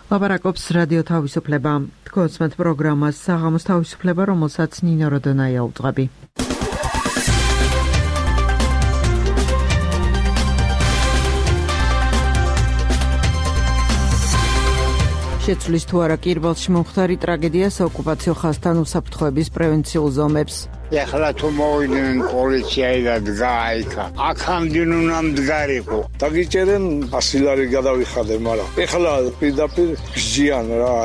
ლაპარაკობს რადიო თავისუფლება. თქვენს პროგრამას საღამოს თავისუფლება, რომელსაც ნინო როდონაია უძღვები. შეცვლის თუ არა კირბელში მომხდარი ტრაგედია საოკუპაციო ხაზთან უსაფრთხოების პრევენციულ ზომებს. ეხლა თუ მოვიდნენ პოლიციայի და დგაიქა. აქამდე უნდა მდგარიყო. დაგიჭერენ 100 ლარი გადავიხადე, მაგრამ ეხლა პირდაპირ გზიან რა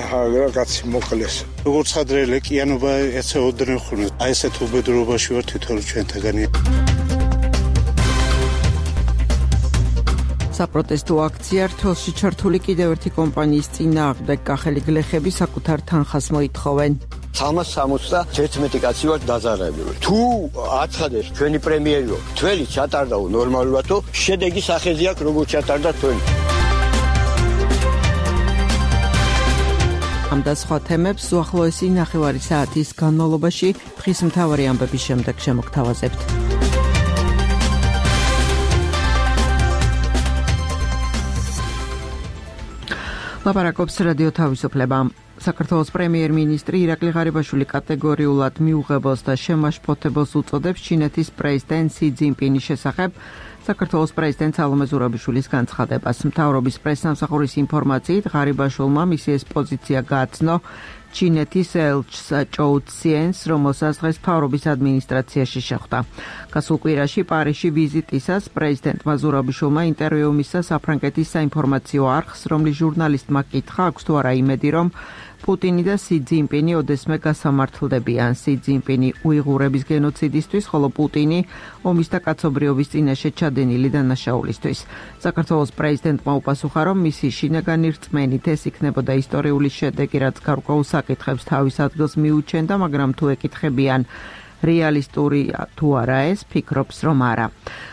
კაცი მოკლეს. როგორც ადრე ლეკიანობა ეცეოდნენ ხოლმე. აი ესეთ უბედურობაში ვარ თვითონ ჩვენთაგანი. საპროტესტო აქცია რთულში ჩართული კიდევ ერთი კომპანიის წინააღმდეგ კახელი გლეხები საკუთარ თანხას მოითხოვენ. 361 კაცი ვარ დაზარალებული. თუ აცხადეს ჩვენი პრემიერო, თველი ჩატარდაო ნორმალურადო, შედეგი სახეზე აქვს როგორც ჩატარდა თველი. ამ და სხვა თემებს უახლოესი ნახევარი საათის განმავლობაში დღის მთავარი ამბების შემდეგ შემოგთავაზებთ. ლაპარაკობს რადიო თავისუფლება. საქართველოს პრემიერ-მინისტრი ირაკლი ღარიბაშვილი კატეგორიულად მიუღებელს და შემაშფოთებელს უწოდებს ჩინეთის პრეზიდენტ სი ძინპინის შესახებ საქართველოს პრეზიდენტ სალომე ზურაბიშვილის განცხადებას. მთავრობის პრესსამსახურის ინფორმაციით ღარიბაშვილმა მისი ეს პოზიცია გააცნო ჩინეთის ელჩს ჭოუ ციენს, რომელსაც დღეს მთავრობის ადმინისტრაციაში შეხვდა. გასულ კვირაში პარიზში ვიზიტისას პრეზიდენტმა ზურაბიშვილმა ინტერვიუ მისცა საფრანგეთის საინფორმაციო არხს, რომლის ჟურნალისტმა კითხა, აქვს თუ არა იმედი, რომ პუტინი და სი ძინპინი ოდესმე გასამართლდებიან. სი ძინპინი უიღურების გენოციდისთვის, ხოლო პუტინი ომის და კაცობრიობის წინაშე ჩადენილი დანაშაულისთვის. საქართველოს პრეზიდენტმა უპასუხა, რომ მისი შინაგანი რწმენით ეს იქნებოდა ისტორიული შედეგი, რაც გარკვეულ საკითხებს თავის ადგილს მიუჩენდა, მაგრამ თუ ეკითხებიან რეალისტური თუ არა ეს, ფიქრობს, რომ არა.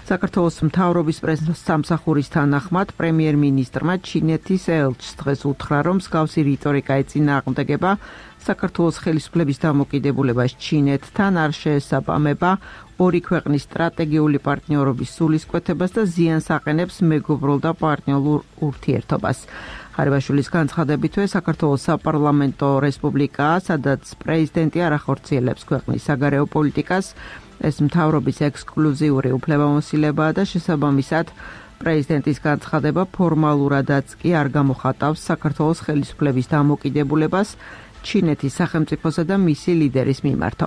საქართველოს მთავრობის პრესსამსახურის თანახმად პრემიერ-მინისტრმა ჩინეთის ელჩს დღეს უთხრა, რომ მსგავსი რიტორიკა ეწინააღმდეგება საქართველოს ხელისუფლების დამოკიდებულებას ჩინეთთან, არ შეესაბამება ორი ქვეყნის სტრატეგიული პარტნიორობის სულისკვეთებას და ზიანს აყენებს მეგობრულ და პარტნიორულ ურთიერთობას. ღარიბაშვილის განცხადებითვე საქართველოს საპარლამენტო რესპუბლიკაა, სადაც პრეზიდენტი არ ახორციელებს ქვეყნის საგარეო პოლიტიკას. ეს მთავრობის ექსკლუზიური უფლებამოსილებაა და შესაბამისად პრეზიდენტის განცხადება ფორმალურადაც კი არ გამოხატავს საქართველოს ხელისუფლების დამოკიდებულებას ჩინეთის სახელმწიფოსა და მისი ლიდერის მიმართ.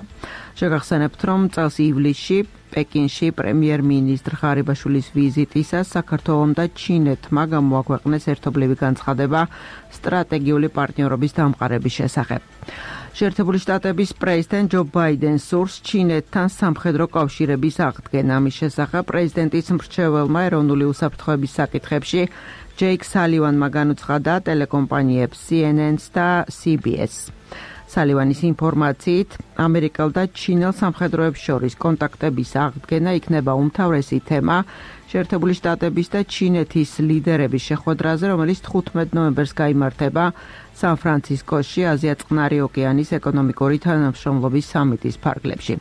შეგახსენებთ, რომ წელს ივლისში პეკინში პრემიერ-მინისტრ ღარიბაშვილის ვიზიტისას საქართველომ და ჩინეთმა გამოაქვეყნეს ერთობლივი განცხადება სტრატეგიული პარტნიორობის დამყარების შესახებ. შეერთებული შტატების პრეზიდენტ ჯო ბაიდენს სურს ჩინეთთან სამხედრო კავშირების აღდგენა. ამის შესახებ პრეზიდენტის მრჩეველმა ეროვნული უსაფრთხოების საკითხებში ჯეიკ სალივანმა განუცხადა ტელეკომპანიებს CNN-ს და CBS. სალივანის ინფორმაციით, ამერიკელ და ჩინელ სამხედროებს შორის კონტაქტების აღდგენა იქნება უმთავრესი თემა შეერთებული შტატების და ჩინეთის ლიდერების შეხვედრაზე, რომელიც 15 ნოემბერს გაიმართება სან-ფრანცისკოში აზია-წყნარი ოკეანის ეკონომიკური თანამშრომლობის სამიტის ფარგლებში.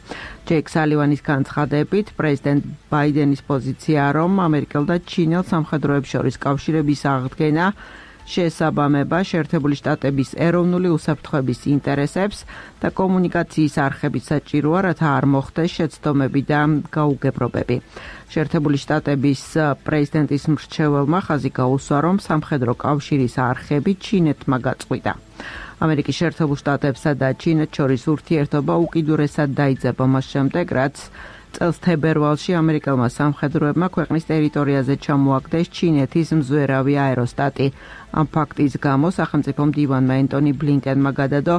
ჯეიკ სალივანის განცხადებით, პრეზიდენტ ბაიდენის პოზიციაა, რომ ამერიკელ და ჩინელ სამხედროებს შორის კავშირების აღდგენა შეესაბამება შეერთებული შტატების ეროვნული უსაფრთხოების ინტერესებს და კომუნიკაციის არხებით საჭიროა, რათა არ მოხდეს შეცდომები და გაუგებრობები. შეერთებული შტატების პრეზიდენტის მრჩეველმა ხაზი გაუსვა, რომ სამხედრო კავშირის არხები ჩინეთმა გაწყვიტა. ამერიკის შეერთებულ შტატებსა და ჩინეთს შორის ურთიერთობა უკიდურესად დაიძაბა მას შემდეგ, რაც წელს თებერვალში ამერიკელმა სამხედროებმა ქვეყნის ტერიტორიაზე ჩამოაგდეს ჩინეთის მზვერავი აეროსტატი. ამ ფაქტის გამო სახელმწიფო მდივანმა ენტონი ბლინკენმა გადადო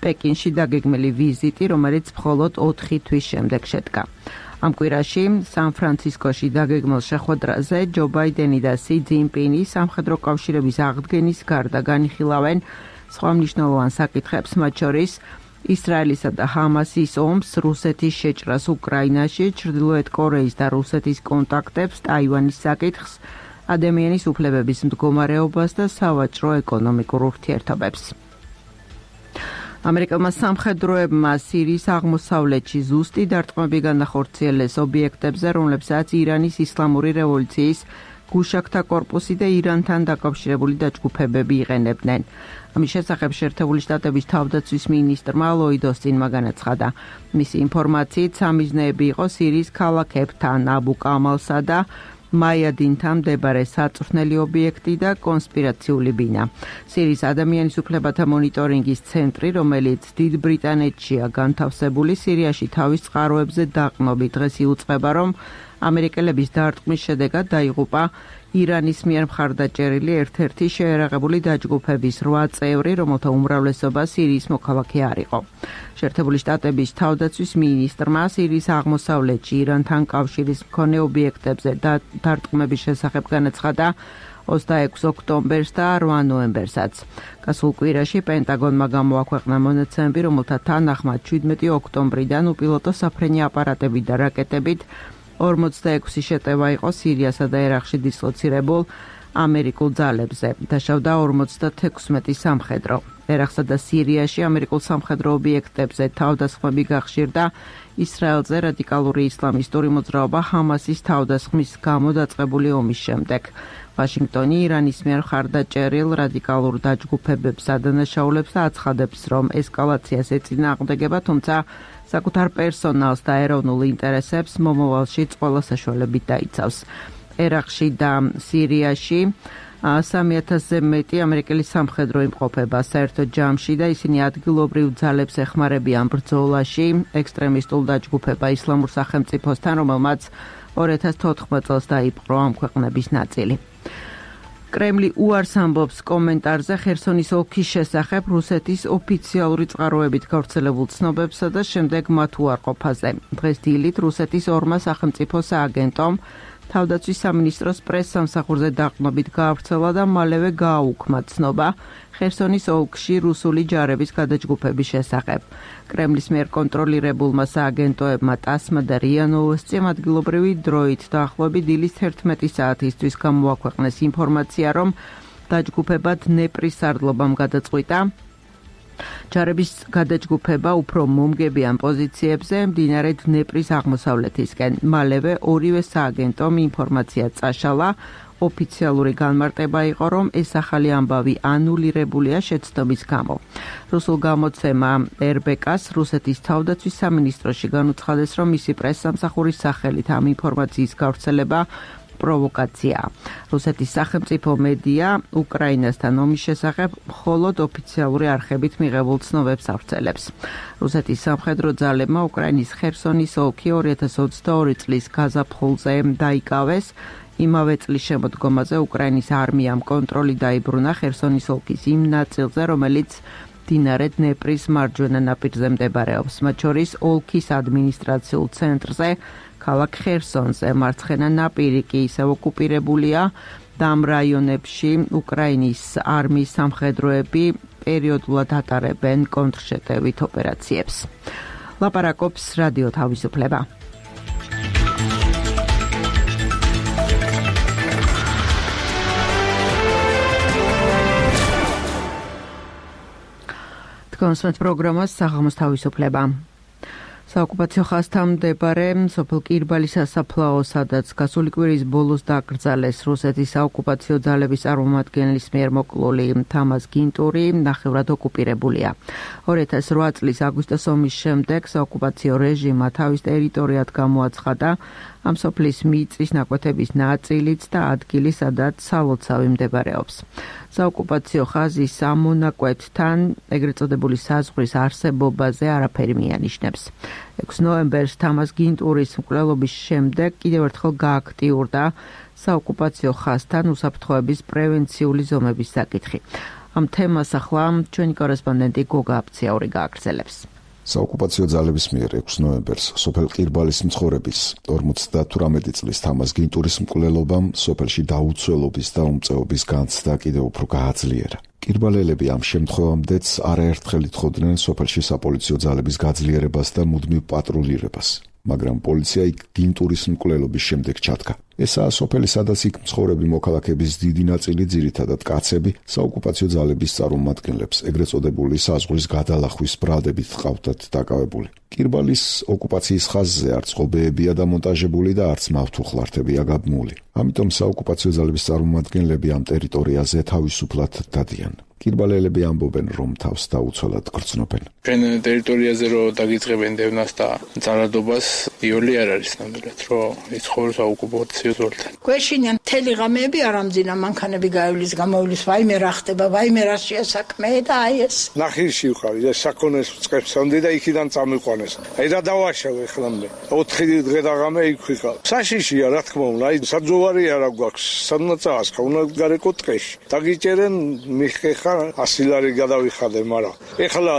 პეკინში დაგეგმილი ვიზიტი, რომელიც მხოლოდ 4 თვის შემდეგ შედგა. ამ კვირაში სან-ფრანცისკოში დაგეგმილ შეხვედრაზე ჯო ბაიდენი და სი ძინპინი სამხედრო კავშირების აღდგენის გარდა განიხილავენ სხვა მნიშვნელოვან საკითხებს, მათ შორის ისრაელისა და ჰამასის ომს, რუსეთის შეჭრას უკრაინაში, ჩრდილოეთ კორეის და რუსეთის კონტაქტებს, ტაივანის საკითხს, ადამიანის უფლებების მდგომარეობას და სავაჭრო ეკონომიკურ ურთიერთობებს. ამერიკელმა სამხედროებმა სირიის აღმოსავლეთში ზუსტი დარტყმები განახორციელეს ობიექტებზე, რომლებსაც ირანის ისლამური რევოლუციის გუშაქთა კორპუსი და ირანთან დაკავშირებული დაჯგუფებები იყენებდნენ. ამის შესახებ შეერთებული შტატების თავდაცვის მინისტრმა ლოიდ ოსტინმა განაცხადა. მისი ინფორმაციით სამიზნეები იყო სირიის ქალაქებთან აბუ კამალსა და მაიადინთან მდებარე საწვრთნელი ობიექტი და კონსპირაციული ბინა. სირიის ადამიანის უფლებათა მონიტორინგის ცენტრი, რომელიც დიდ ბრიტანეთშია განთავსებული, სირიაში თავის წყაროებზე დაყრდნობით დღეს იუწყება, რომ ამერიკელების დარტყმის შედეგად დაიღუპა ირანის მიერ მხარდაჭერილი ერთ-ერთი შეერაღებული დაჯგუფების 8 წევრი, რომელთა უმრავლესობა სირიის მოქალაქე არ იყო. შეერთებული შტატების თავდაცვის მინისტრმა სირიის აღმოსავლეთში ირანთან კავშირის მქონე ობიექტებზე დარტყმების შესახებ განაცხადა 26 ოქტომბერს და 8 ნოემბერსაც. გასულ კვირაში პენტაგონმა გამოაქვეყნა მონაცემები, რომელთა თანახმად 17 ოქტომბრიდან უპილოტო საფრენი აპარატებით და რაკეტებით 46 შეტევა იყო სირიასა და ერაყში დისლოცირებულ ამერიკულ ძალებზე. დაშავდა 56 სამხედრო. ერაყსა და სირიაში ამერიკულ სამხედრო ობიექტებზე თავდასხმები გახშირდა ისრაელზე რადიკალური ისლამისტური მოძრაობა ჰამასის თავდასხმის გამო დაწყებული ომის შემდეგ. ვაშინგტონი ირანის მიერ მხარდაჭერილ რადიკალურ დაჯგუფებებს ადანაშაულებს და აცხადებს, რომ ესკალაციას ეწინააღმდეგება, თუმცა საკუთარ პერსონალს და ეროვნულ ინტერესებს მომავალშიც ყველა საშუალებით დაიცავს. ერაყში და სირიაში 3000-ზე მეტი ამერიკელი სამხედრო იმყოფება საერთო ჯამში და ისინი ადგილობრივ ძალებს ეხმარებიან ბრძოლაში ექსტრემისტულ დაჯგუფება ისლამურ სახელმწიფოსთან, რომელმაც 2014 წელს დაიპყრო ამ ქვეყნების ნაწილი. კრემლი უარს ამბობს კომენტარზე ხერსონის ოლქის შესახებ რუსეთის ოფიციალური წყაროებით გავრცელებულ ცნობებსა და შემდეგ მათ უარყოფაზე. დღეს დილით რუსეთის ორმა სახელმწიფო სააგენტომ თავდაცვის სამინისტროს პრეს-სამსახურზე დაყრდნობით გაავრცელა და მალევე გააუქმა ცნობა ხერსონის ოლქში რუსული ჯარების გადაჯგუფების შესახებ. კრემლის მიერ კონტროლირებულმა სააგენტოებმა ტასმა და რია ნოვოსტიმ ადგილობრივი დროით დაახლოებით დილის 11 საათისთვის გამოაქვეყნეს ინფორმაცია, რომ დაჯგუფება დნეპრის სარდლობამ გადაწყვიტა ჯარების გადაჯგუფება უფრო მომგებიან პოზიციებზე მდინარე დნეპრის აღმოსავლეთისკენ. მალევე ორივე სააგენტომ ინფორმაცია წაშალა. ოფიციალური განმარტება იყო, რომ ეს ახალი ამბავი ანულირებულია შეცდომის გამო. რუსულ გამოცემა RBK-ს რუსეთის თავდაცვის სამინისტროში განუცხადეს, რომ მისი პრეს-სამსახურის სახელით ამ ინფორმაციის გავრცელება პროვოკაციაა. რუსეთის სახელმწიფო მედია უკრაინასთან ომის შესახებ მხოლოდ ოფიციალური არხებით მიღებულ ცნობებს ავრცელებს. რუსეთის სამხედრო ძალებმა უკრაინის ხერსონის ოლქი 2022 წლის გაზაფხულზე დაიკავეს. იმავე წლის შემოდგომაზე უკრაინის არმიამ კონტროლი დაიბრუნა ხერსონის ოლქის იმ ნაწილზე, რომელიც მდინარე დნეპრის მარჯვენა ნაპირზე მდებარეობს, მათ შორის ოლქის ადმინისტრაციულ ცენტრზე, ქალაქ ხერსონზე. მარცხენა ნაპირი კი ისევ ოკუპირებულია და ამ რაიონებში უკრაინის არმიის სამხედროები პერიოდულად ატარებენ კონტრშეტევით ოპერაციებს. ლაპარაკობს რადიო თავისუფლება. კონსმეთ პროგრამას საღამოს თავისუფლება. საოკუპაციო ხაზთან მდებარე სოფელ კირბალის სასაფლაო, სადაც გასული კვირის ბოლოს დაკრძალეს რუსეთის საოკუპაციო ძალების წარმომადგენლის მიერ მოკლული თამაზ გინტური, ნახევრად ოკუპირებულია. 2008 წლის აგვისტოს ომის შემდეგ საოკუპაციო რეჟიმმა თავის ტერიტორიად გამოაცხადა ამ სოფლის მიწის ნაკვეთების ნაწილიც და ადგილი, სადაც სალოცავი მდებარეობს. საოკუპაციო ხაზის ამონაკვეთთან ეგრეთ წოდებული საზღვრის არსებობაზე არაფერი მიანიშნებს. 6 ნოემბერს თამაზ გინტურის მკვლელობის შემდეგ კიდევ ერთხელ გააქტიურდა საოკუპაციო ხაზთან უსაფრთხოების პრევენციული ზომების საკითხი. ამ თემას ახლა ჩვენი კორესპონდენტი გოგა აფციაური გააგრძელებს. საოკუპაციო ძალების მიერ 6 ნოემბერს სოფელ ყირბალის მცხოვრების 58 წლის თამაზ გინტურის მკვლელობამ სოფელში დაუცველობის და უმწეობის განცდა კიდევ უფრო გააძლიერა. ყირბალელები ამ შემთხვევამდეც არაერთხელ ითხოვდნენ სოფელში საპოლიციო ძალების გაძლიერებას და მუდმივ პატრულირებას. მაგრამ პოლიცია იქ დინტურის მკვლელობის შემდეგ ჩადგა. ესაა სოფელი, სადაც იქ მცხოვრები მოქალაქეების დიდი ნაწილი, ძირითადად კაცები, საოკუპაციო ძალების წარმომადგენლებს, ეგრეთ წოდებული საზღვრის გადალახვის ბრალდებით ჰყავდათ დაკავებული. კირბალის ოკუპაციის ხაზზე არც ღობეებია დამონტაჟებული და არც მავთუხლართებია გაბმული. ამიტომ საოკუპაციო ძალების წარმომადგენლები ამ ტერიტორიაზე თავისუფლად დადიან. კირბალელები ამბობენ, რომ თავს დაუცველად გრძნობენ. ჩვენ ტერიტორიაზე რო დაგიწყებენ დევნას და ძალადობას, იოლი არ არის ნამდვილად, რომ იცხოვრს საოკუპაციო ზოლთან. გვეშინიან მთელი ღამეები არ ამძინა, მანქანები გაივლის, გამოვლის, ვაიმე რა ხდება, ვაიმე რა შეასაქმე და აი ეს. ნახირში ვიყავი და საქონელს წებსამდე და იქიდან წამიყვანეს. აი და დავაშავე ხლამდე. 4 დღე და ღამე იქ ვიყავ. საშიშია რა თქმა უნდა, აი საძოვარი არა გვაქვს, სადმაც აღსხა, უნდა გარეკო ტყეში. დაგიჭერენ მიხეხა 100 ლარი გადავიხადე, მაგრამ ეხლა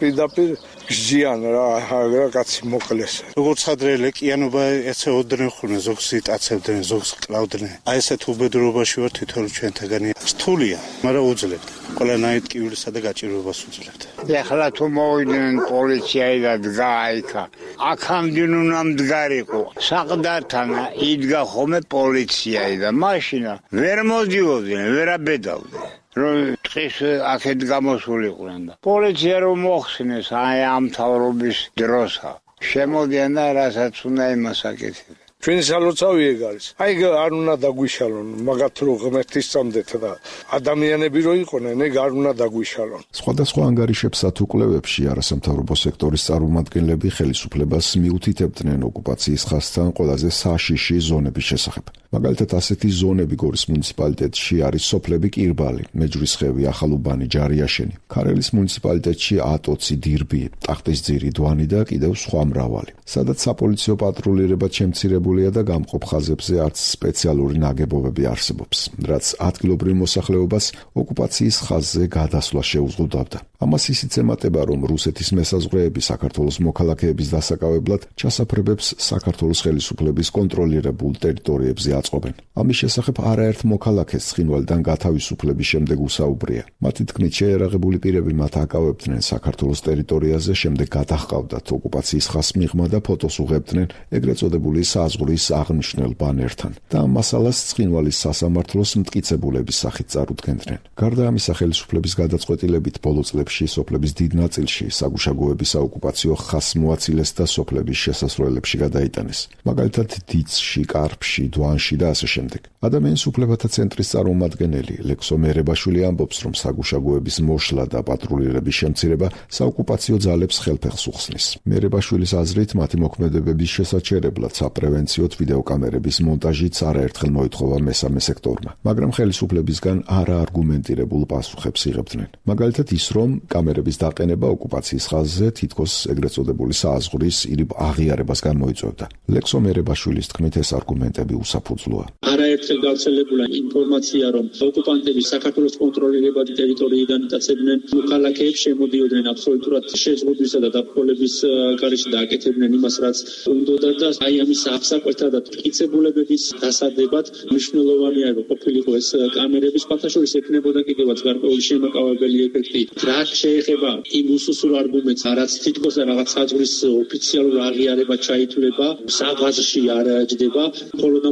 პირდაპირ გზიან რა კაცი მოკლეს. როგორც ადრე ლეკიანობა ეცეოდნენ ხოლმე, ზოგს იტაცებდნენ, ზოგს კლავდნენ. აი ესეთ უბედურობაში ვარ თვითონ ჩვენთაგანი. რთულია, მაგრამ უძლებთ. ყველანაირ ტკივილსა და გაჭირვებას უძლებთ. ეხლა თუ მოვიდნენ პოლიციայի და დგაიქა. აქამდე უნდა მდგარიყო. საყდართან იდგა ხოლმე პოლიციայի და მაშინა ვერ მოდიოდნენ, ვერ აბედავდნენ. რომ ტყის აქეთ გამოსულიყვნენ და პოლიცია რომ მოხსნეს აი ამ მთავრობის დროსა შემოდიან და რასაც უნდა იმას აკეთებენ. ჩვენი სალოცავი ეგ არის. აი არ უნდა დაგვიშალონ, მაგათ რო ღმერთის წამდეთ და ადამიანები რო იყვნენ, ეგ არ უნდა დაგვიშალონ. სხვადასხვა ანგარიშებსა თუ კვლევებში არასამთავრობო სექტორის წარმომადგენლები ხელისუფლებას მიუთითებდნენ ოკუპაციის ხაზთან ყველაზე საშიში ზონების შესახებ. მაგალითად, ასეთი ზონები გორის მუნიციპალიტეტში არის სოფლები კირბალი, მეჯვრისხევი, ახალუბანი, ჯარიაშენი, ქარელის მუნიციპალიტეტში ატოცი, დირბი, ტახტისძირი, დვანი და კიდევ სხვა მრავალი. სადაც საპოლიციო პატრულირება შემცირებულია და გამყოფ ხაზებზე არც სპეციალური ნაგებობები არსებობს, რაც ადგილობრივ მოსახლეობას ოკუპაციის ხაზზე გადასვლა შეუზღუდავდა. ამას ისიც ემატება, რომ რუსეთის მესაზღვრეები საქართველოს მოქალაქეების დასაკავებლად ჩასაფრებებს საქართველოს ხელისუფლების კონტროლირებულ ტერიტორიებზე აწყობენ. ამის შესახებ არაერთ მოქალაქეს ცხინვალიდან გათავისუფლების შემდეგ უსაუბრია. მათი თქმით, შეერაღებული პირები მათ აკავებდნენ საქართველოს ტერიტორიაზე, შემდეგ გადაჰყავდათ ოკუპაციის ხაზს მიღმა და ფოტოს უღებდნენ ეგრეთ წოდებული საზღვრის აღნიშნულ ბანერთან და ამ მასალას ცხინვალის სასამართლოს მტკიცებულების სახით წარუდგენდნენ. გარდა ამისა, ხელისუფლების გადაწყვეტილებით ბოლო წლებში სოფლების დიდ ნაწილში საგუშაგოების საოკუპაციო ხაზს მოაცილეს და სოფლების შესასვლელებში გადაიტანეს. მაგალითად, დიცში, კარფში, დვანში და ასე შემდეგ. ადამიანის უფლებათა ცენტრის წარმომადგენელი ლექსო მერებაშვილი ამბობს, რომ საგუშაგოების მოშლა და პატრულირების შემცირება საოკუპაციო ძალებს ხელფეხს უხსნის. მერებაშვილის აზრით, მათი მოქმედებების შესაჩერებლად საპრევენციოდ ვიდეოკამერების მონტაჟიც არაერთხელ მოითხოვა მესამე სექტორმა, მაგრამ ხელისუფლებისგან არაარგუმენტირებულ პასუხებს იღებდნენ. მაგალითად ის, რომ კამერების დაყენება ოკუპაციის ხაზზე თითქოს ეგრეთ წოდებული საზღვრის ირიბ აღიარებას გამოიწვევდა. ლექსო მერებაშვილის თქმით, ეს არგუმენტები უსაფუძვლოა. არაერთხელ გავრცელებულა ინფორმაცია, რომ ოკუპანტები საქართველოს კონტროლირებადი ტერიტორიიდან იტაცებდნენ მოქალაქეებს, შემოდიოდნენ აბსოლუტურად შეზღუდვისა და დაფრთხილების გარეშე და აკეთებდნენ იმას, რაც უნდოდა და აი ამის აღსაკვეთად და მტკიცებულებების დასადებად მნიშვნელოვანია, რომ ყოფილიყო ეს კამერების ფათაშორის ექნებოდა კიდევაც გარკვეული შემაკავებელი ეფექტი. რა შეეხება იმ უსუსურ არგუმენტს, რაც თითქოს რაღაც საზღვრის ოფიციალურ აღიარება ჩაითვლება, საღვაზში არ ჯდება, მხოლოდ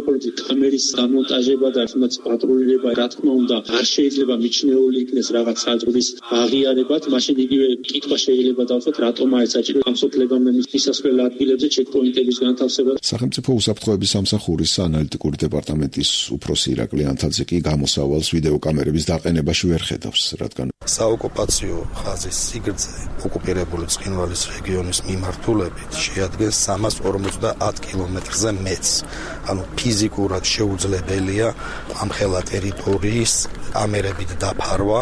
კამერის დამონტაჟება და თუნდაც პატრულირება, რა თქმა უნდა, არ შეიძლება მიჩნეული იქნეს რაღაც საზღვრის აღიარებად, მაშინ იგივე კითხვა შეიძლება დავთვალოთ, რატომაა საჭირო ამ სოფლებამდე მისასვლელ ადგილებზე ჩეკპოინტების განთავსება. სახელმწიფო უსაფრთხოების სამსახურის ანალიტიკური დეპარტამენტის უფროსი ირაკლი ანთაძე კი გამოსავალს ვიდეოკამერების დაყენებაში ვერ ხედავს, რადგან საოკუპაციო ხაზის სიგრძე ოკუპირებული ცხინვალის რეგიონის მიმართულებით შეადგენს 350 კილომეტრზე მეტს. ანუ ფიზიკურად შეუძლებელია ამ ხელა ტერიტორიის კამერებით დაფარვა,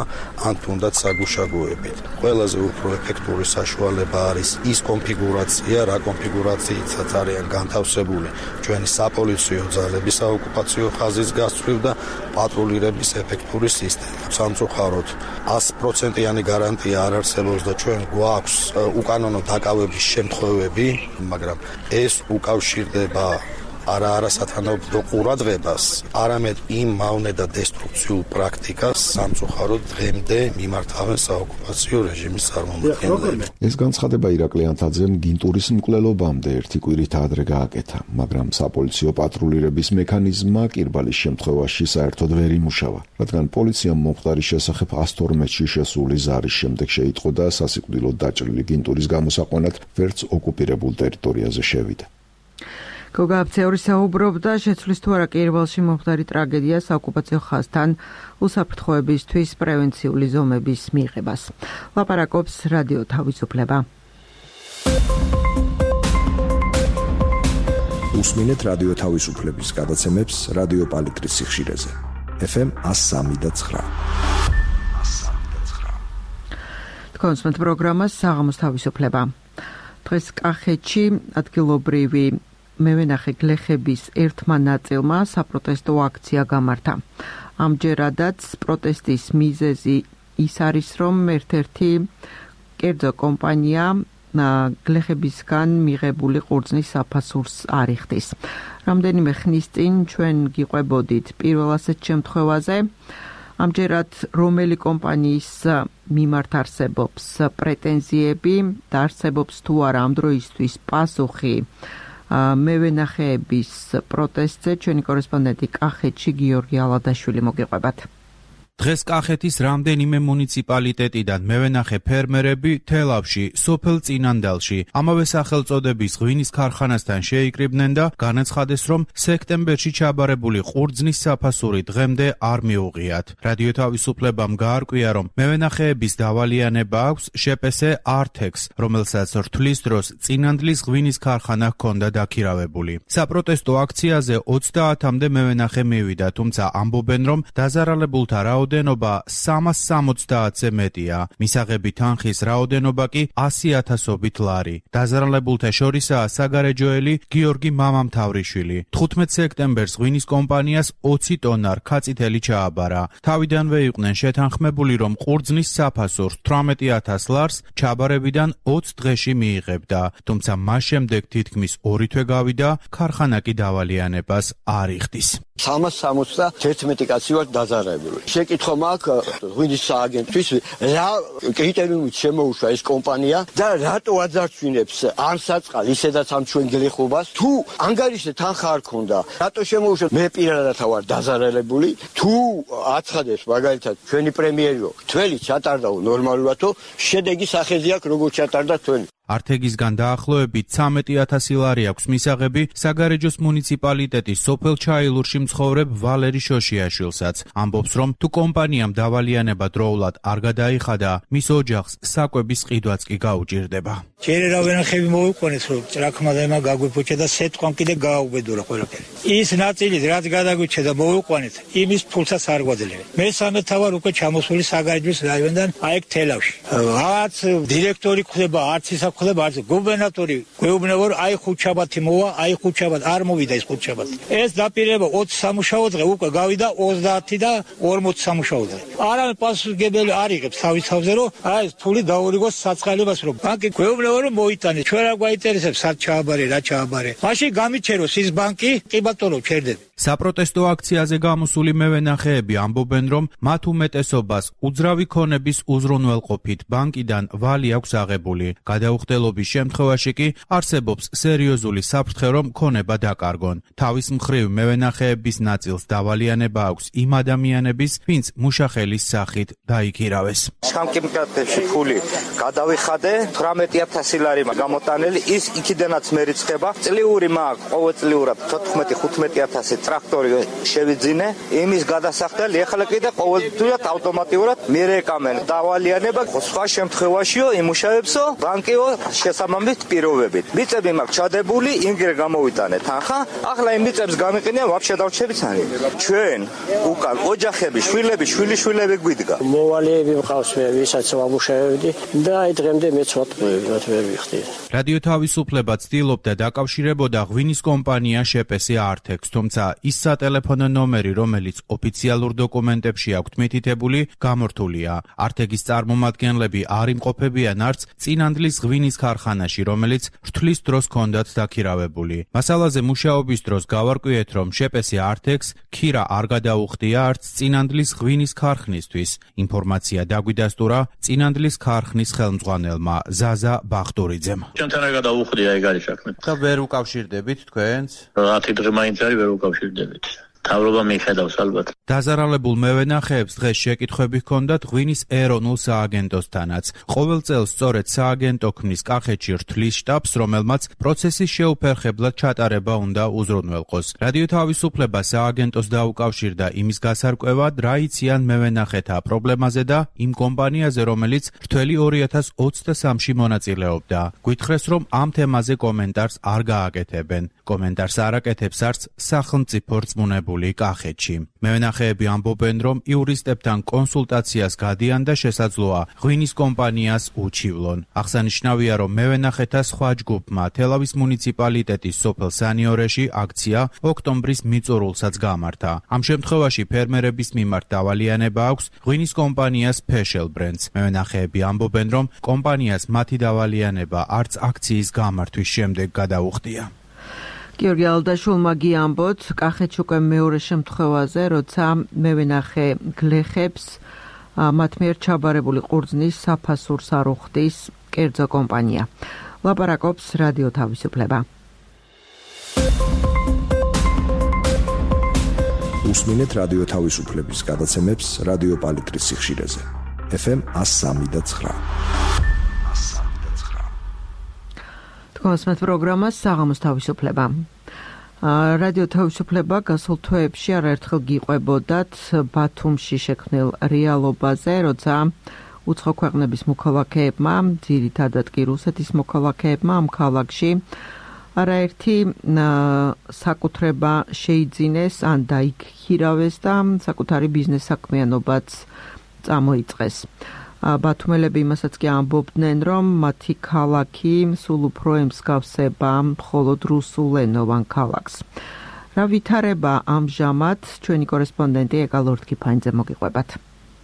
ან თუნდაც საგუშაგოებით. ყველაზე უფრო ეფექტური საშუალება არის ის კონფიგურაცია, რა კონფიგურაციითაც არიან განთავსებული ჩვენი საპოლიციო ძალების საოკუპაციო ხაზის გასწვრივ და პატრულირების ეფექტური სისტემა. სამწუხაროდ 100%-იანი გარანტია არ არსებობს და ჩვენ გვაქვს უკანონო დაკავების შემთხვევები, მაგრამ ეს უკავშირდება არა სათანადო ყურადღებას, არამედ იმ მავნე და დესტრუქციულ პრაქტიკას სამწუხაროდ დღემდე მიმართავენ საოკუპაციო რეჟიმის წარმომადგენლები. ეს განცხადება ირაკლი ანთაძემ გინტურის მკვლელობამდე ერთი კვირით ადრე გააკეთა, მაგრამ საპოლიციო პატრულირების მექანიზმმა კირბალის შემთხვევაში საერთოდ ვერ იმუშავა, რადგან პოლიციამ მომხდარის შესახებ 112-ში შესული ზარის შემდეგ შეიტყო და სასიკვდილოდ დაჭრილი გინტურის გამოსაყვანად ვერც ოკუპირებულ ტერიტორიაზე შევიდა. გოგა აფცეური საუბრობდა შეცვლის თუ არა კირბალში მომხდარი ტრაგედია საოკუპაციო ხაზთან უსაფრთხოებისთვის პრევენციული ზომების მიღებას. ლაპარაკობს რადიო თავისუფლება. უსმინეთ რადიო თავისუფლების გადაცემებს რადიო პალიტრის სიხშირეზე. FM 103.9. კონსმეთ პროგრამას საღამოს თავისუფლება. დღეს კახეთში ადგილობრივი მევენახე გლეხების ერთმა ნაწილმა საპროტესტო აქცია გამართა. ამჯერადაც პროტესტის მიზეზი ის არის, რომ ერთ-ერთი კერძო კომპანია გლეხებისგან მიღებული ყურძნის საფასურს არ იხდის. რამდენიმე ხნის წინ ჩვენ გიყვებოდით პირველ ასეთ შემთხვევაზე. ამჯერად რომელი კომპანიის მიმართ არსებობს პრეტენზიები და არსებობს თუ არა ამ დროისთვის პასუხი მევენახეების პროტესტზე, ჩვენი კორესპონდენტი კახეთში გიორგი ალადაშვილი მოგიყვებათ. დღეს კახეთის რამდენიმე მუნიციპალიტეტიდან მევენახე ფერმერები თელავში, სოფელ წინანდალში, ამავე სახელწოდების ღვინის ქარხანასთან შეიკრიბნენ და განაცხადეს, რომ სექტემბერში ჩაბარებული ყურძნის საფასური დღემდე არ მიუღიათ. რადიო თავისუფლებამ გაარკვია, რომ მევენახეების დავალიანება აქვს შეპესე ართექს, რომელსაც რთვლის დროს წინანდლის ღვინის ქარხანა ჰქონდა დაქირავებული. საპროტესტო აქციაზე 30-მდე მევენახე მივიდა, თუმცა ამბობენ, რომ დაზარალებულთა რაოდენობა 360-ზე მეტია. მისაღები თანხის რაოდენობა კი 100,000-ობით ლარი. დაზარალებულთა შორისაა საგარეჯოელი გიორგი მამამთავრიშვილი. 15 სექტემბერს ღვინის კომპანიას 20 ტონა რქაწითელი ჩააბარა. თავიდანვე იყვნენ შეთანხმებული, რომ ყურძნის საფასურს 18,000 ლარს ჩაბარებიდან 20 დღეში მიიღებდა. თუმცა მას შემდეგ თითქმის 2 თვე გავიდა, ქარხანა კი დავალიანებას არ იხდის. 371 კაცი ვარ დაზარალებული. შეკითხვა მაქვს ღვინის სააგენტთვის, რა კრიტერიუმით შემოუშვა ეს კომპანია და რატო აძარცვინებს ამ საწყალ ისედაც ამ ჩვენ გლეხობას, თუ ანგარიშზე თანხა არ ქონდა, რატო შემოუშვა? მე პირადად ვარ დაზარალებული, თუ აცხადებს მაგალითად ჩვენი პრემიერო თველი ჩატარდაო ნორმალურადო, შედეგი სახეზე აქვს როგორც ჩატარდა თველი. ართეგისგან დაახლოებით 13,000 ლარი აქვს მისაღები საგარეჯოს მუნიციპალიტეტის სოფელ ჩაილურში მცხოვრებ ვალერი შოშიაშვილსაც. ამბობს, რომ თუ კომპანიამ დავალიანება დროულად არ გადაიხადა, მის ოჯახს საკვების ყიდვაც კი გაუჭირდება. ჯერ რავენახები მოიყვანეს, რომ ჭრაქმა და ემა გაგვიფუჭა და სეტყვამ კიდე გააუბედურა ყველაფერი. ის ნაწილი რაც გადაგვიჩა და მოიყვანეთ, იმის ფულსაც არ გვაძლევენ. მესამე თავარ უკვე ჩამოსული საგარეჯოს რაიონიდან აიქ თელავში. რაც დირექტორი ხდება, არც ისა ხდება, არც გუბერნატორი გვეუბნება, რომ აი ხუთშაბათი მოვა, აი ხუთშაბათი არ მოვიდა ეს ხუთშაბათი. ეს დაპირება 20 სამუშაო დღე უკვე გავიდა 30 და 40 სამუშაო დღე. არავინ პასუხისმგებელი არ იღებს თავის თავზე, რომ აი ეს ფული დაურიგოს საწყალებას, რომ ბანკი გვეუბნება, რომ მოიტანე. ჩვენ რა გვაინტერესებს, სად ჩააბარე, რა ჩააბარე. მაშინ გამიჩეროს ის ბანკი, კი ბატონო, ჩერდები. საპროტესტო აქციაზე გამოსული მევენახეები ამბობენ, რომ მათ უმეტესობას უძრავი ქონების უზრუნველყოფით ბანკიდან ვალი აქვს აღებული. გადაუხდელობის შემთხვევაში კი არსებობს სერიოზული საფრთხე, რომ ქონება დაკარგონ. თავის მხრივ მევენახეების ნაწილს დავალიანება აქვს იმ ადამიანების, ვინც მუშახელის სახით დაიქირავეს. სამკითხებში ფული გადავიხადე, 18,000 ლარი გამოტანელი, ის იქიდანაც მერიცხება. წლიური მაქვს ყოველწლიურად 14-15,000 ტრაქტორი შევიძინე, იმის გადასახდელი ეხლა კიდე ყოველდღიურად ავტომატურად მირეკამენ დავალიანება. სხვა შემთხვევაშიო იმუშავებსო ბანკიო შესაბამის პირობებით. მიწები მაქვს ჩადებული, იმგრე გამოვიტანე თანხა, ახლა იმ მიწებს გამიყენია ვაფშე დავრჩებით ანი. ჩვენ უკან ოჯახები, შვილები, შვილიშვილები გვიდგა. მოვალეები მყავს მე, ვისაც ვამუშავებდი და აი დღემდე მეც ვატყუები, ვერ ვიხდი. რადიო თავისუფლება ცდილობდა დაკავშირებოდა ღვინის კომპანია შეპესე ართექს, თუმცა ის სატელეფონო ნომერი, რომელიც ოფიციალურ დოკუმენტებში აქვთ მითითებული, გამორთულია. ართეგის წარმომადგენლები არ იმყოფებიან არც წინანდლის ღვინის ქარხანაში, რომელიც რთვლის დროს ჰქონდათ დაქირავებული. მასალაზე მუშაობის დროს გავარკვიეთ, რომ შეპესი ართეგს ქირა არ გადაუხდია არც წინანდლის ღვინის ქარხნისთვის. ინფორმაცია დაგვიდასტურა წინანდლის ქარხნის ხელმძღვანელმა ზაზა ბახტურიძემ. ჩვენთან არ გადაუხდია ეგ არის საქმე. და ვერ უკავშირდებით თქვენს? 10 დღე მაინც არის ვერ უკავშირდებით. თავრობა მიხედავს ალბათ. დაზარალებულ მევენახეებს დღეს შეკითხვები ჰქონდათ ღვინის ეროვნულ სააგენტოსთანაც. ყოველ წელს სწორედ სააგენტო ქმნის კახეთში რთვლის შტაბს, რომელმაც პროცესის შეუფერხებლად ჩატარება უნდა უზრუნველყოს. რადიო თავისუფლება სააგენტოს დაუკავშირდა იმის გასარკვევად, რა იციან მევენახეთა პრობლემაზე და იმ კომპანიაზე, რომელიც რთველი 2023-ში მონაწილეობდა. გვითხრეს, რომ ამ თემაზე კომენტარს არ გააკეთებენ. კომენტარს არ აკეთებს არც სახელმწიფო რწმუნებული კახეთში. მევენახეები ამბობენ, რომ იურისტებთან კონსულტაციას გადიან და შესაძლოა ღვინის კომპანიას უჩივლონ. აღსანიშნავია, რომ მევენახეთა სხვა ჯგუფმა თელავის მუნიციპალიტეტის სოფელ სანიორეში აქცია ოქტომბრის მიწურულსაც გამართა. ამ შემთხვევაში ფერმერების მიმართ დავალიანება აქვს ღვინის კომპანიას Special Brands. მევენახეები ამბობენ, რომ კომპანიას მათი დავალიანება არც აქციის გამართვის შემდეგ გადაუხდია. გიორგი ალდაშულმა გიამბოთ კახეთში უკვე მეორე შემთხვევაზე, როცა მევენახე გლეხებს მათ მიერ ჩაბარებული ყურძნის საფასურს არ უხდის კერძო კომპანია. ლაპარაკობს რადიო თავისუფლება. უსმინეთ რადიო თავისუფლების გადაცემებს რადიო პალიტრის სიხშირეზე. FM 103.9. კონსმეთ პროგრამას საღამოს თავისუფლება. რადიო თავისუფლება გასულ თვეებში არაერთხელ გიყვებოდათ ბათუმში შექმნილ რეალობაზე, როცა უცხო ქვეყნების მოქალაქეებმა, ძირითადად კი რუსეთის მოქალაქეებმა ამ ქალაქში არაერთი საკუთრება შეიძინეს ან დაიქირავეს და საკუთარი ბიზნეს საქმიანობაც წამოიწყეს. ბათუმელები იმასაც კი ამბობდნენ, რომ მათი ქალაქი სულ უფრო ემსგავსება მხოლოდ რუსულენოვან ქალაქს. რა ვითარება ამჟამად ჩვენი კორესპონდენტი ეკა ლორდ-კიფანიძე მოგიყვებათ.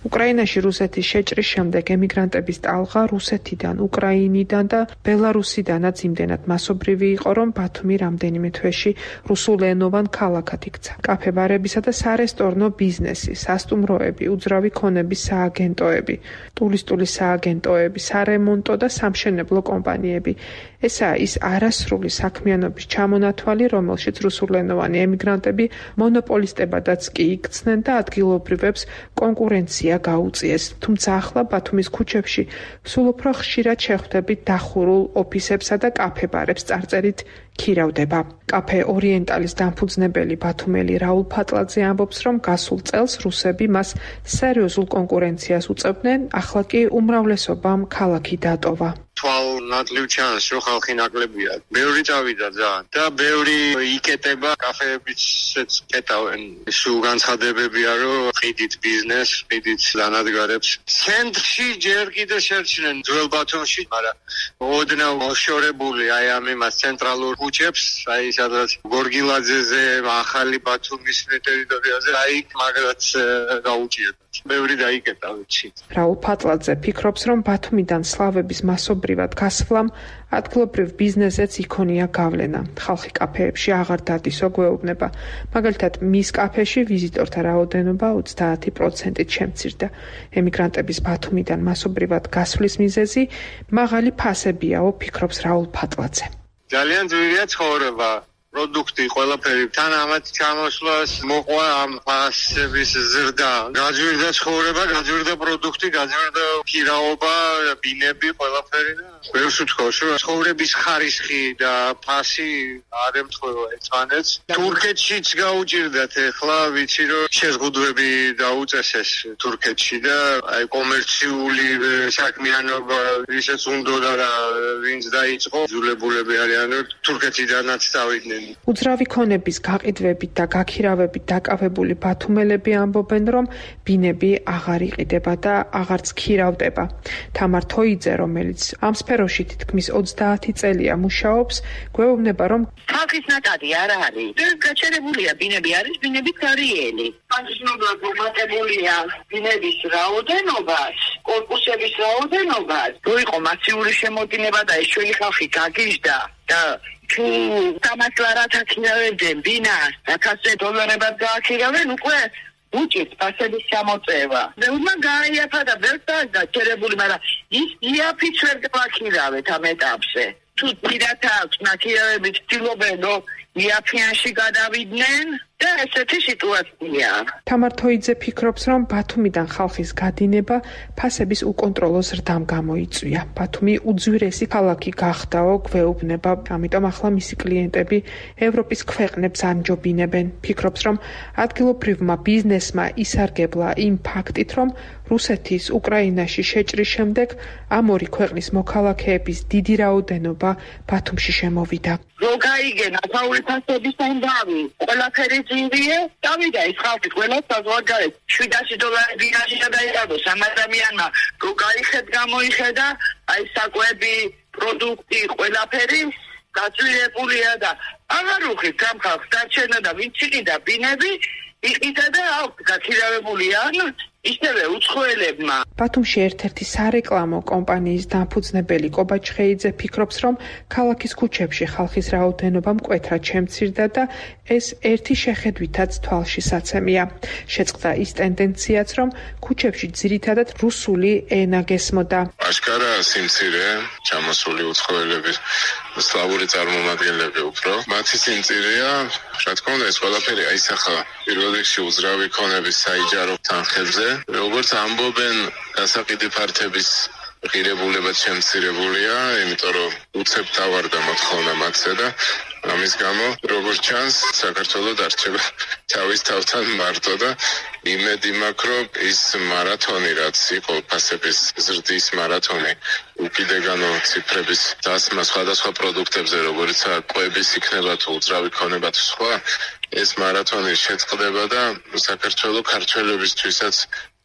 უკრაინაში რუსეთის შეჭრის შემდეგ ემიგრანტების ტალღა რუსეთიდან, უკრაინიდან და ბელარუსიდანაც იმდენად მასობრივი იყო, რომ ბათუმი რამდენიმე თვეში რუსულენოვან ქალაქად იქცა. კაფე-ბარებისა და სარესტორნო ბიზნესი, სასტუმროები, უძრავი ქონების სააგენტოები, ტურისტული სააგენტოები, სარემონტო და სამშენებლო კომპანიები. ესაა ის არასრული საქმიანობის ჩამონათვალი, რომელშიც რუსულენოვანი ემიგრანტები მონოპოლისტებადაც კი იქცნენ და ადგილობრივებს კონკურენცია გაუწიეს. თუმცა ახლა ბათუმის ქუჩებში სულ უფრო ხშირად შეხვდებით დახურულ ოფისებსა და კაფე-ბარებს წარწერით ქირავდება. კაფე ორიენტალის დამფუძნებელი ბათუმელი რაულ ფატლაძე ამბობს, რომ გასულ წელს რუსები მას სერიოზულ კონკურენციას უწევდნენ, ახლა კი უმრავლესობამ ქალაქი დატოვა. ნატლივ ჩანს, რომ ხალხი ნაკლებია. ბევრი წავიდა ძალიან და ბევრი იკეტება, კაფეებიც კეტავენ. სულ განცხადებებია, რომ ყიდით ბიზნეს, ყიდით დანადგარებს. ცენტრში ჯერ კიდე შერჩნენ ძველ ბათუმში, მაგრამ ოდნავ მოშორებული აი ამ იმას ცენტრალურ ქუჩებს, აი სადაც გორგილაძეზე, ახალი ბათუმის ტერიტორიაზე, აი მაგათ გაუჭირდა. ბევრი დაიკეტა ვიცი. რაულ ფატლაძე ფიქრობს, რომ ბათუმიდან სლავების მასობრივად გასვლამ ადგილობრივ ბიზნესებს იქონია გავლენა. ხალხი კაფეებში აღარ დადისო გვეუბნება. მაგალითად, მის კაფეში ვიზიტორთა რაოდენობა 30%-ით შემცირდა. ემიგრანტების ბათუმიდან მასობრივად გასვლის მიზეზი მაღალი ფასებიაო, ფიქრობს რაულ ფატლაძე. ძალიან ძვირია ცხოვრება. პროდუქტი ყველაფერი თან ამათ ჩამოსვლას მოყვა ამ ფასების ზრდა. გაძვირდა ცხოვრება, გაძვირდა პროდუქტი, გაძვირდა ქირაობა, ბინები, ყველაფერი და ბევრს ვთქვას, რომ ცხოვრების ხარისხი და ფასი არ ემთხვევა ერთმანეთს. თურქეთშიც გაუჭირდათ ახლა, ვიცი რომ შეზღუდვები დაუწესეს თურქეთში და აი კომერციული საქმიანობა ისეც უნდოდა და ვინც დაიწყო, ძულებულები არიან, თურქეთიდანაც წავიდნენ. უძრავი ქონების გაყიდვებით და გაქირავებით დაკავებული ბათუმელები ამბობენ, რომ ბინები აღარ იყიდება და აღარც ქირავდება. თამარ თოიძე, რომელიც ამ სფეროში თითქმის 30 წელია მუშაობს, გვეუბნება, რომ ხალხის ნაკადი არ არის. გაჩერებულია ბინები არის, ბინები კარიელი. განსხვავებულად მომატებულია ბინების რაოდენობას, კორპუსების რაოდენობას. თუ იყო მასიური შემოდინება და ეს ჩვენი ხალხი გაგიჟდა და თუ 300 ლარად აქირავებდნენ ბინას, $1000 გააქირავენ, უკვე უჭირთ ფასების ჩამოწევა. ბევრმა გაიაფა და ბევრს გაჩერებული, მაგრამ ის იაფიც ვერ გააქირავეთ ამ ეტაპზე. თუ პირად აქვს ნაკირავები ცდილობენ, რომ იაფიანში გადავიდნენ და ესეთი სიტუაცია. თამარ თოიძე ფიქრობს, რომ ბათუმიდან ხალხის გადინება ფასების უკონტროლო ზრდამ გამოიწვია. ბათუმი უძვირესი ქალაქი გახდაო, გვეუბნება, ამიტომ ახლა მისი კლიენტები ევროპის ქვეყნებს ანჯობინებენ. ფიქრობს, რომ ადგილობრივმა ბიზნესმა ისარგებლა იმ ფაქტით, რომ რუსეთის უკრაინაში შეჭრის შემდეგ ამ ორი ქვეყნის მოქალაქეების დიდი რაოდენობა ბათუმში შემოვიდა. რო გაიგენ ასაული ფასების ამბავი, ყველაფერი ძინვია, დავიდა ის ხალხი ყველა საზღვარგარეთ $700 ბინაში გადაიღო სამ ადამიანმა, რო გამოიხედა, აი საკვები, პროდუქტი, ყველაფერი გაწვირებულია და აღარ უხით ამ ხალხს დარჩენა და ვინც იყიდა ბინები, იყიდა და გაქირავებულიან ისევე უცხოელებმა. ბათუმში ერთ-ერთი სარეკლამო კომპანიის დამფუძნებელი კობა ჩხეიძე ფიქრობს, რომ ქალაქის ქუჩებში ხალხის რაოდენობა მკვეთრად შემცირდა და ეს ერთი შეხედვითაც თვალშისაცემია. შეწყდა ის ტენდენციაც, რომ ქუჩებში ძირითადად რუსული ენა გესმოდა. აშკარა სიმცირე, ჩამოსული უცხოელების სლავური წარმომადგენლები უფრო. მათი სიმცირეა, რა თქმა უნდა, ეს ყველაფერი აისახა პირველ რიგში უძრავი ქონების საიჯარო თანხებზე. როგორც ამბობენ, გასაყიდი ფართების ღირებულებაც შემცირებულია, იმიტომ რომ უცებ დავარდა მოთხოვნა მათზე და ამის გამო, როგორც ჩანს, საქართველოს დარჩება თავის თავთან მარტო და იმედი მაქვს, რომ ის მარათონი, რაც იყო ფასების ზრდის მარათონი, უკიდეგანო ციფრების დასმა სხვადასხვა პროდუქტებზე, როგორიცაა კვების იქნება თუ უძრავი ქონება თუ სხვა, ეს მარათონი შეწყდება და საქართველოს ქართველებისთვისაც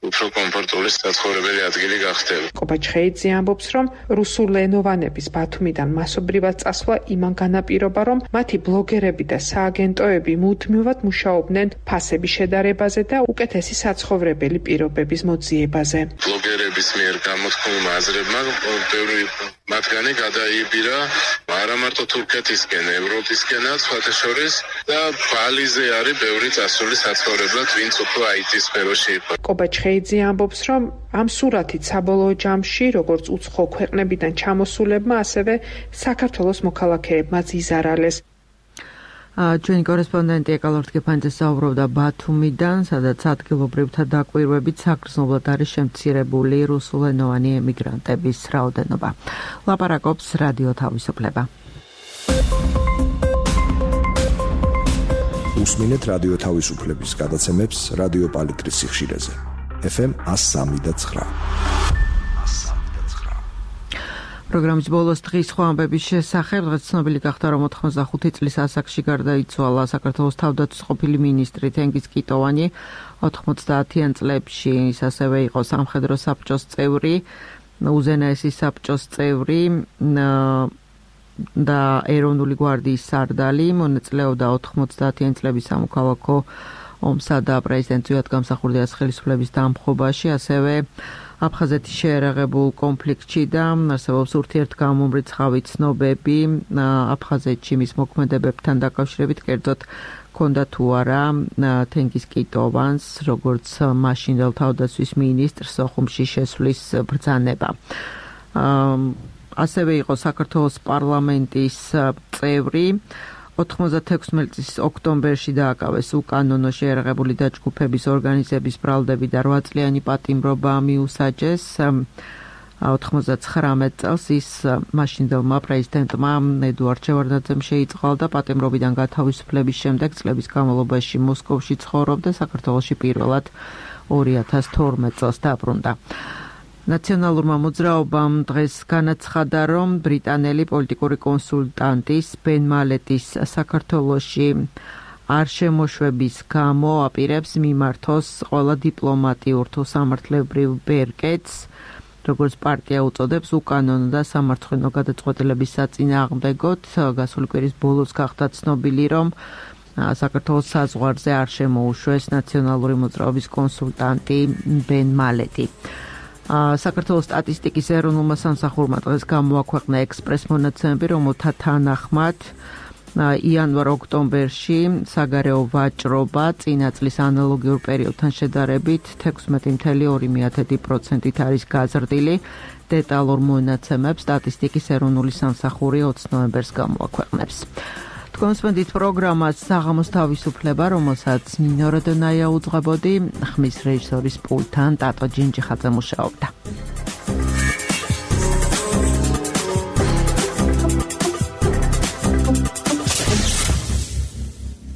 უფრო კომფორტული საცხოვრებელი ადგილი გახდება. კობა ჩხეიძე ამბობს, რომ რუსულენოვანების ბათუმიდან მასობრივად წასვლა იმან განაპირობა, რომ მათი ბლოგერები და სააგენტოები მუდმივად მუშაობდნენ ფასების შედარებაზე და უკეთესი საცხოვრებელი პირობების მოძიებაზე. ბლოგერების მიერ გამოთქმულმა აზრებმა ბევრი მათგანი გადაიბირა არა მარტო თურქეთისკენ, ევროპისკენაც, სხვათა შორის და ბალიზე არის ბევრი წასული საცხოვრებლად, ვინც უფრო IT სფეროში იყო. კობა ჩხეიძე ამბობს, რომ ამ სურათით საბოლოო ჯამში, როგორც უცხო ქვეყნებიდან ჩამოსულებმა, ასევე საქართველოს მოქალაქეებმაც იზარალეს. ჩვენი კორესპონდენტი ეკალორთ გეფანძე საუბრობდა ბათუმიდან, სადაც ადგილობრივთა დაკვირვებით საგრძნობლად არის შემცირებული რუსულენოვანი ემიგრანტების რაოდენობა. ლაპარაკობს რადიო თავისუფლება. უსმინეთ რადიო თავისუფლების გადაცემებს რადიო პალიტრის სიხშირეზე. FM 103.9. პროგრამის ბოლოს დღის სხვა ამბების შესახებ დღეს ცნობილი გახდა, რომ 85 წლის ასაკში გარდაიცვალა საქართველოს თავდაცვის ყოფილი მინისტრი თენგიზ კიტოვანი. 90-იან წლებში ის ასევე იყო სამხედრო საბჭოს წევრი, უზენაესი საბჭოს წევრი და ეროვნული გვარდიის სარდალი. მონაწილეობდა 90-იან წლების სამოქალაქო ომსა და პრეზიდენტ ზვიად გამსახურდიას ხელისუფლების დამხობაში, ასევე აფხაზეთის შეერაღებულ კონფლიქტში და არსებობს ურთიერთგამომრიცხავი ცნობები აფხაზეთში მის მოქმედებებთან დაკავშირებით, კერძოდ ჰქონდა თუ არა თენგიზ კიტოვანს, როგორც მაშინდელ თავდაცვის მინისტრს ოხუმში შესვლის ბრძანება. ასევე იყო საქართველოს პარლამენტის წევრი. 96 წლის ოქტომბერში დააკავეს უკანონო შეერაღებული დაჯგუფების ორგანიზების ბრალდები და 8 წლიანი პატიმრობა მიუსაჯეს. 99 წელს ის მაშინდელმა პრეზიდენტმა ედუარდ შევარდნაძემ შეიწყალ და პატიმრობიდან გათავისუფლების შემდეგ წლების განმავლობაში მოსკოვში ცხოვრობდა, საქართველოში პირველად 2012 წელს დაბრუნდა. ნაციონალურმა მოძრაობამ დღეს განაცხადა, რომ ბრიტანელი პოლიტიკური კონსულტანტის ბენ მალეტის საქართველოში არ შემოშვების გამო აპირებს მიმართოს ყველა დიპლომატიურ თუ სამართლებრივ ბერკეტს, როგორც პარტია უწოდებს, უკანონო და სამართლიანო გადაწყვეტილების საწინააღმდეგოდ. გასული კვირის ბოლოს გახდა ცნობილი, რომ საქართველოს საზღვარზე არ შემოუშვეს ნაციონალური მოძრაობის კონსულტანტი ბენ მალეტი. საქართველოს სტატისტიკის ეროვნულმა სამსახურმა დღეს გამოაქვეყნა ექსპრეს მონაცემები, რომელთა თანახმად იანვარ-ოქტომბერში საგარეო ვაჭრობა წინა წლის ანალოგიურ პერიოდთან შედარებით 16.2%-ით არის გაზრდილი. დეტალურ მონაცემებს სტატისტიკის ეროვნული სამსახური 20 ნოემბერს გამოაქვეყნებს. თქვენსმენდით პროგრამას საღამოს თავისუფლება, რომელსაც მინოროდონაია უძღვებოდი, ხმის რეჟისორის პულტთან ტატო ჯინჯიხაძე მუშაობდა.